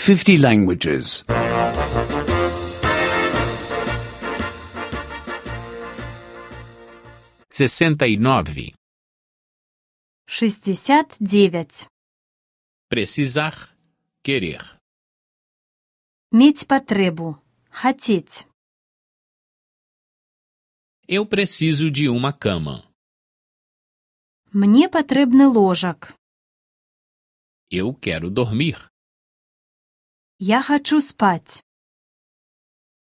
50 languages. 69. 69. Precisar, querer. Мець патрэбу. Хацець. Eu preciso de uma cama. Мне патрэбны ложак. Eu quero dormir. Я хачу спаць.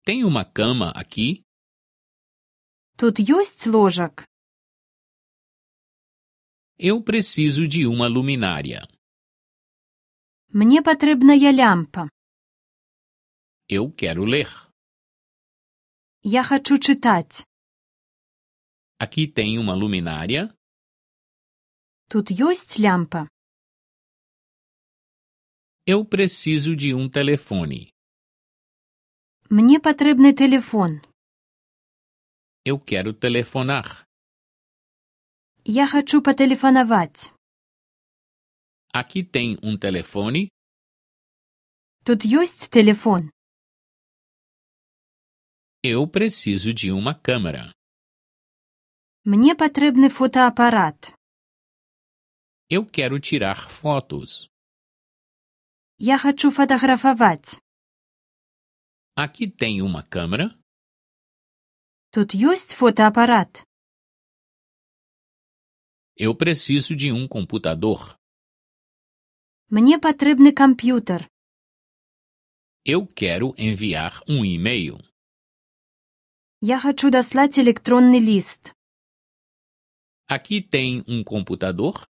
Tem uma cama aqui? Тут ёсць ложак? Eu preciso de uma luminária. Мне патрэбная лямпа. Eu quero ler. Я хачу чытаць. Aqui tem uma luminária? Тут ёсць лямпа? Eu preciso de um telefone. Мне патрэбны тэлефон. Eu quero telefonar. Я хачу патэлефанаваць. Aqui tem um telefone? Тут ёсць тэлефон? Eu preciso de uma câmera. Мне патрэбны фотаапарат. Eu quero tirar fotos. Я хачу фатаграфаваць. Aqui tem uma câmera? Тут ёсць фотаапарат? Eu preciso de um computador. Мне патрэбны камп'ютар. Eu quero enviar um e-mail. Я хачу даслаць электронны ліст. Aqui tem um computador?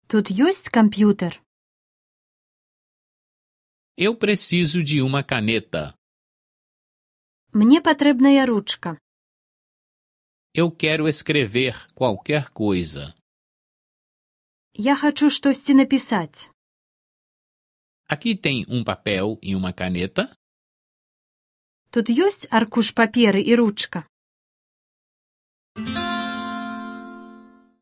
Тут ёсць камп'ютар? Eu preciso de uma caneta. Мне патрэбная ручка. Eu quero escrever qualquer coisa. Я хачу штосьці напісаць. Aqui tem um papel e uma caneta? Тут ёсць аркуш паперы і ручка?